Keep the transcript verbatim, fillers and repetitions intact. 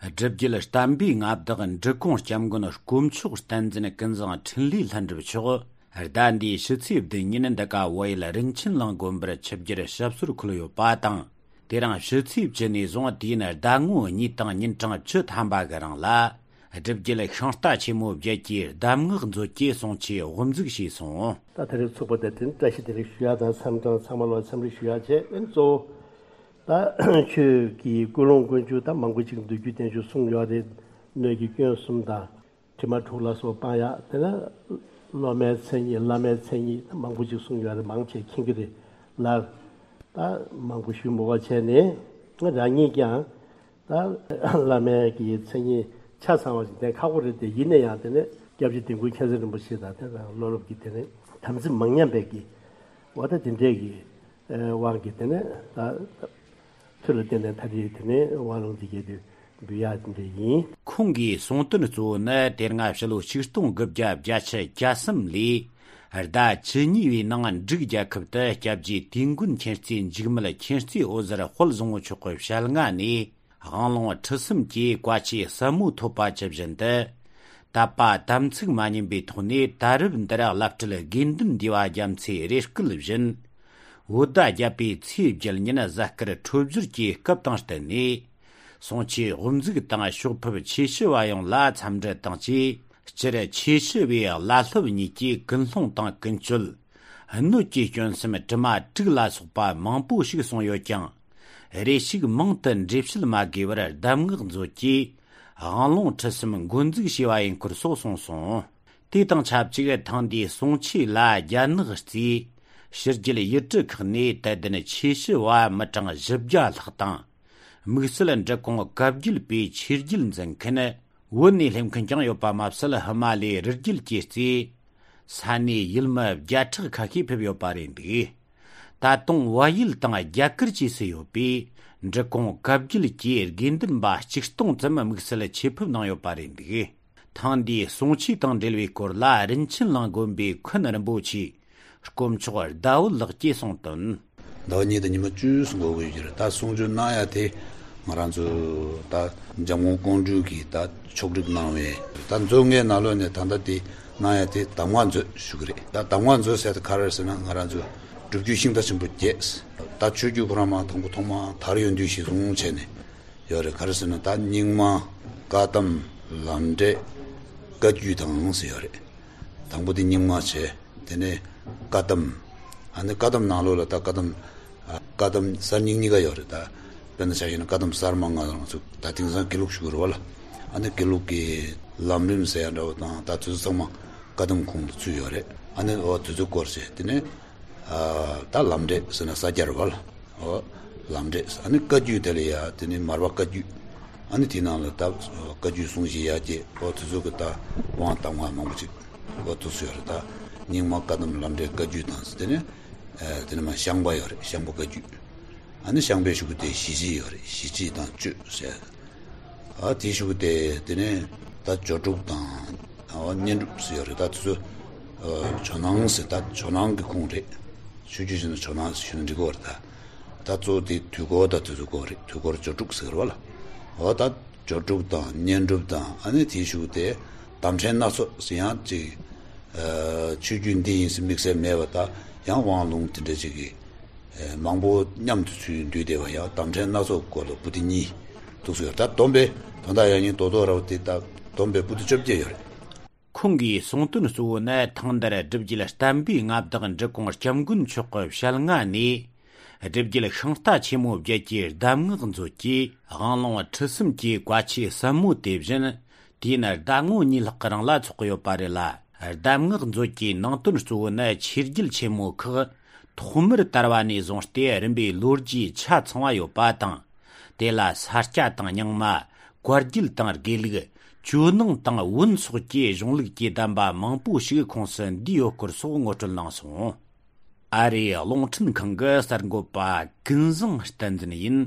སྒྲུབ་བརྒྱུད་བསྟན་པའི་མངའ་བདག་འབྲི་གུང་སྐྱབས་མགོན་དཀོན་མཆོག་བསྟན་འཛིན་ཀུན་བཟང་འཕྲིན་ལས་ལྷུན་གྲུབ་མཆོག་ཟླ་འདིའི་ཕྱི་ཚེས་བདུན་ཉིན་འདི་ག་བལ་ཡུལ་རིན་ཆེན་གླིང་དགོན་པར་ཆིབས་བསྒྱུར་ཞབས་སོར་འཁོད་ཡོད་པ་དང་། དེ་རིང་ཕྱི་ཚེས་བཅུ་ནས་བཟུང་དུས་ཡུན་ཟླ་ངོ་གཉིས་དང་ཉིན་གྲངས་བཅུ་ཐམ་པ་གི་རིང་ལ། སྒྲུབ་བརྒྱུད་ཤིང་རྟ་ཆེན་མོའི་རྒྱལ་གྱི་གདམས་ངག་མཛོད་ཀྱི་གསུང་ཆོས་དབུ་འཛུགས་བྱས་སོང་། ད་དེ་རིང་ཚོགས་པ་དེ་དེ་བཀྲ་ཤིས་བདེ་ལེགས་ཞུ་ཡ་དང་འཚམས་གྲངས་ཚང་མ་ལ་འཚམས་འདྲི་ཞུ་ཡ་བྱས། ཨེ་གཙོ་བོ་ད་ཆོས་ཀྱི་ཀུན་སློང་ཀུན་སྤྱོད་ད་མང་པོ་ཅིག་མདོ་རྒྱུད་བསྟན་བཅོས་གསུངས་ཡོད་རེད། སྣོད་ཀྱི་སྐྱོན་གསུམ་དང་། དྲི་མ་དྲུག་ལ་སོགས་སྤང་ཡག་དེ་ནས་སློབ་མའི་མཚན་ཉིད་བླ་མའི་མཚན་ཉིད་མང་པོ་ཅིག་གསུངས་ཡོད་རེད། མང་ཆེ་མཁྱེན་གྱི་རེད་ལ། ད་མང་པོ་ཞུས་མ་དགོས་བྱས་ནས་ང་རང་ཉིད་ཀྱང་ད་བླ་མའི་གི་མཚན་ཉིད་ཆ་ཚང་བ་ཞིག་བསྟན་ཁག་པོ་རེད་དེ། ཡིན་ན་ཡང་དེ་ནས་སྐྱབས་རྗེ་དིལ་མགོ་མཁྱེན་བརྩེ་རིན་པོ་ཆེ་དང་དེ་དང་བློ་སློབ་ཀྱི་དེ་ནས་དམ་ཚིག་མ་ཉམས་པའི་གི་འོ་ད་དེ་འདྲས་ཀྱི་དབང་གིས་དེ་ནས་ད་མཐུ་ལ་བརྟེན་ནས་ད་རེས་དེ་ནས་དབང་ལུང་འདི་གས་དེ་འབུལ་ཡག་དེ་འདྲ་ཡིན། ཁོང་གིས་གསུངས་དོན་གཙོ་བོ་ནི་དེ་སྔ་ཕྱི་ལོ་ཆིག་སྟོང་དགུ་བརྒྱ་བརྒྱད་ཅུ་གྱ་གསུམ་ལོའི་ཟླ་བཅུ་གཉིས་པའི་ནང་འབྲུག་རྒྱལ་ཁབ་ཏུ་སྐྱབས་རྗེ་དིལ་མགོ་མཁྱེན་བརྩེ་འཇིགས་མེད་མཁྱེན་བརྩེ་འོད་ཟེར་དཔལ་བཟང་པོ་མཆོག་གི་ཞལ་སྔ་ནས་དབང་ལུང་ཁྲིད་གསུམ་གྱི་བཀའ་ཆོས་ཟབ་མོ་ཐོབ་པ་ཇི་བཞིན་དུ། དད་པ་དམ་ཚིག་མ་ཉམས་པའི་ཐོག་ནས་ད་རེབ་འདིར་བླ་སྤྲུལ་དགེ་འདུན་འདུས་པ་རྒྱ་མཚོའི་རེ་སྐུལ་བཞིན། བོད་ཟླ་བརྒྱད་པའི་ཚེས་བརྒྱད་ཉིན་གཟའ་སྐར་འཕྲོད་སྦྱོར་གྱི་སྐབས་དང་བསྟུན་ནས། གསུང་ཆོས་དབུ་འཛུགས་དང་ཕྱོགས་ཕེབས་ཆོས་ཞུ་བ་ཡོངས་ལ་འཚམས་འདྲི་དང་བཅས། སྤྱིར་ཆོས་ཞུ་བའི་བླ་སློབ་གཉིས་ཀྱི་ཀུན་སློང་དང་ཀུན་སྤྱོད། སྣོད་ཀྱི་སྐྱོན་སེམས་དྲི་མ་དྲུག་ལ་སོགས་པ་མང་པོ་ཞིག་གསུངས་ཡོད་ཀྱང་། རེ་ཞིག་མང་དུ་འགྲེལ་བཤད་མ་དགོས་པར་གདམས་ངག་མཛོད་ཀྱིས་དབང་ལུང་ཁྲིད་གསུམ་འགོ་འཛུགས་བྱས་པ་ཡིན་སྐོར་སོགས་གསུངས་སོང་། དེ་དང་ཆབས་ཅིག་ཐེངས་འདིའི་གསུང་ཆོས་ལ་རྒྱ་ནག་གཙོས་ཕྱི་རྒྱལ་ཡུལ་གྲུ་ཁག་ནས་དད་ལྡན་ཆོས་ཞུ་བ་མི་གྲངས་བཞི་བརྒྱ་ལྷག་དང་། དམིགས་བསལ་འབྲི་གུང་བཀའ་བརྒྱུད་པའི་ཆོས་བརྒྱུད་འཛིན་མཁན། བོད་ནས་སླེབས་མཁན་ཀྱང་ཡོད་པ་མ་ཟད། ཧི་མ་ལའི་རི་རྒྱུད་ཀྱིས་གཙོས་ས་གནས་ཡུལ་མི་བརྒྱ་ཕྲག་ཁ་ཤས་ཕེབས་ཡོད་པ་རེད་འདུག། ད་དུང་བལ་ཡུལ་དང་རྒྱ་གར་བཅས་སུ་ཡོད་པའི་འབྲི་གུང་བཀའ་བརྒྱུད་ཀྱི་དགེ་འདུན་པ་ཆིག་སྟོང་ཙམ་དམིགས་བསལ་ཆེད་ཕེབས་གནང་ཡོད་པ་རེད་འདུག། ཐེངས་འདིའི་གསུང་ཆོས་དང་འབྲེལ་བའི་སྐོར་ལ་རིན་ཆེན་གླིང་དགོན་པའི་མཁན་རིན་པོ་ཆེ་དཀོན་མཆོག་ཟླ་འོད་ལགས་ཀྱིས་གསུངས་དོན། ཟླ་བ་གཉིས་དང་ཉི་མ་བཅུ་གསུང་གི་ཡོད་ཀྱི་རེད། ད་གསུང་ཆོས་གནང་ཡ་དེ་ང་རང་ཚོ་ད་འཇམ་མགོན་ཀོང་སྤྲུལ་གྱིས་ད་ཕྱོགས་སྒྲིག་གནང་བའི་ད་མཛོད་ལྔའི་ནང་ལོགས་ནས་ད་ལྟ་དེ་གནང་ཡ་དེ་གདམས་ངག་མཛོད་ཞུ་གི་རེད། ད་གདམས་ངག་མཛོད་ཟེར་དེ་ག་རེ་ཟེར་ན། ང་རང་ཚོ་སྒྲུབ་བརྒྱུད་ཤིང་རྟ་ཆེན་པོ་བརྒྱད། ད་ཆོས་བརྒྱུད་ཁོ་རང་མ་དང་པོ་ཐོག་མ་དར་ཡོང་དུས་གཞི་བཟུང་བྱས་ནས་ཡོད་རེད། ག་རེ་ཟེར་ན། ད་རྙིང་མ། བཀའ་གདམས། ལམ་འབྲས། བཀའ་བརྒྱུད་དང་ཟེར་ཡོད་རེད། དང་པོ་དེ་རྙིང་མ་བྱས། དེ་ནས་བཀའ་གདམས། ཨ་ནི་བཀའ་གདམས་ནང་ལོགས་ལ་ད་བཀའ་གདམས། ཨ། བཀའ་གདམས་གསར་རྙིང་གཉིས་ཀ་ཡོད་རེད། ད་དཔེར་ན་ཆ་བཞག་ན་བཀའ་གདམས་གསར་མ་ང་རང་ཚོ་ད་དེང་སང་དགེ་ལུགས་ཞུ་གི་རེད་བ་ལ། ཨ་ནི་དགེ་ལུགས་ཀྱི་ལམ་རིམ་ཟེར་ཡ་འདྲ་བོ་དང་། ད་དེ་ཚོ་ཚང་མ་བཀའ་གདམས་ཁོངས་སུ་ཚུད་ཡོད་རེད། ཨ་ནི་འོ་དེ་ཚོ་སྐོར་བྱས། དེ་ནས་ཨ། ད་ལམ་འབྲས་ཟེར་ན་ས་སྐྱར་བ་ལ། འོ་ལམ་འབྲས། ཨ་ནི་བཀའ་བརྒྱུད་དེ་ལ་ཡ་དེ་ནི་མར་པ་བཀའ་བརྒྱུད། ཨ་ནི་དེའི་ནང་ལ་ད་བཀའ་བརྒྱུད་སྲུང་བཞི་ཡ་གྱལ། འོ་དེ་ཚོ་གི་ད་དབང་གདམས་ངག་མང་པོ་ཅིག་འོ་དེ་ཚོ་ཡོད་རེད། ད་རྙིང་མ་བཀའ་གདམས་ལམ་འབྲས་བཀའ་བརྒྱུད་དང་། དེ་ནས་ཨ། དེ་ནས་མར་ཤངས་པ་ཡོད་རེད། ཤངས་པ་བཀའ་བརྒྱུད། ཨ་ནི་ཤངས་པའི་གཞུག་གུ་དེ་ཞི་བྱེད་ཡོད་རེད། ཞི་བྱེད་དང་གཅོད་ཟེར། ཨ། དེའི་གཞུག་གུ་དེ་དེ་ནས་ད་སྦྱོར་དྲུག་དང་། ཨ། བསྙེན་སྒྲུབ་ཟེར་ཡོད་རེད། ད་དེ་ཚོ་ཨ། ཇོ་ནང་ཟེར། ད་ཇོ་ནང་གི་ཁོངས་རེད། ཆོས་བརྒྱུད་ཟེར་ན་ཇོ་ནང་ཟེར་ཞུ་ན་འགྲིག་གི་རེད། ད་ད་གཙོ་བོ་དེ་དུས་འཁོར་ད་དེ་ཚོ་སྐོར་རེད། དུས་འཁོར་སྦྱོར་དྲུག་ཟེར་བ་ལ། འོ་ད་སྦྱོར་དྲུག་དང་བསྙེན་སྒྲུབ་དང་། ཨ་ནི་དེའི་གཞུག་གུ་དེ་གདམས་ཕྲན་སྣ་ཚོགས་ཟེར་ཡང་ཅིག། ཨ། ཆོས་བརྒྱུད་འདི་ཡིན་ཟེར་དམིགས་བསལ་མེད་པ། ད་ཡང་དབང་ལུང་དེ་འདྲ་ཅིག་གི་ཨ། མང་པོ་མཉམ་དུ་ཚུར་འདུས་བསྡད་པ་ཡང་གདམས་ཕྲན་སྣ་ཚོགས་སྐོར་ལ་པོ་ཏི་གཉིས་འདུག་སེ་ཡོད། ད་བསྡོམས་པས་དོན་དག་ཡང་སྙིང་རྡོག་རྡོག་ར་བ་དེ་ད་བསྡོམས་པས་པོ་ཏི་བཅོ་བརྒྱད་ཡོད་རེད། ཁོང་གིས་གསུངས་དོན་གཙོ་བོ་ནི་ཐེངས་འདིར་སྒྲུབ་བརྒྱུད་བསྟན་པའི་མངའ་བདག་འབྲི་གུང་སྐྱབས་མགོན་མཆོག་གི་ཞལ་སྔ་ནས་སྒྲུབ་བརྒྱུད་ཤིང་རྟ་ཆེན་མོ་བརྒྱད་ཀྱི་གདམས་ངག་མཛོད་ཀྱི་དབང་ལུང་ཁྲིད་གསུམ་གྱི་བཀའ་ཆོས་ཟབ་མོ་དེ་བཞིན། དུས་ཡུན་ཟླ་ངོ་གཉིས་ལྷག་གི་རིང་ལ་ཚོགས་ཀྱི་ཡོད་པ་རེད་ལ། གདམས་ངག་མཛོད་ཀྱི་ནང་དོན་གཙོ་བོ་ནི་ཆོས་བརྒྱུད་ཆེན་མོ་ཁག་ཐོག་མར་དར་བ་ནས་བཟུང་སྟེ་རིམ་པས་ལོ་རྒྱུས་ཆ་ཚང་བ་ཡོད་པ་དང་། དེ་ལ་ས་སྐྱ་དང་རྙིང་མ། བཀའ་བརྒྱུད་དང་དགེ་ལུགས། ཇོ་ནང་དང་བོན་སོགས་ཀྱི་གཞུང་ལུགས་ཀྱི་གདམས་པ་མང་པོ་ཞིག་ཁོངས་སུ་འདུས་ཡོད་སྐོར་སོགས་ངོ་སྤྲོད་གནང་སོང་། ཨ་རིའི་རླུང་འཕྲིན་ཁང་གི་གསར་འགོད་པ་ཀུན་བཟང་བསྟན་འཛིན་ཡིན།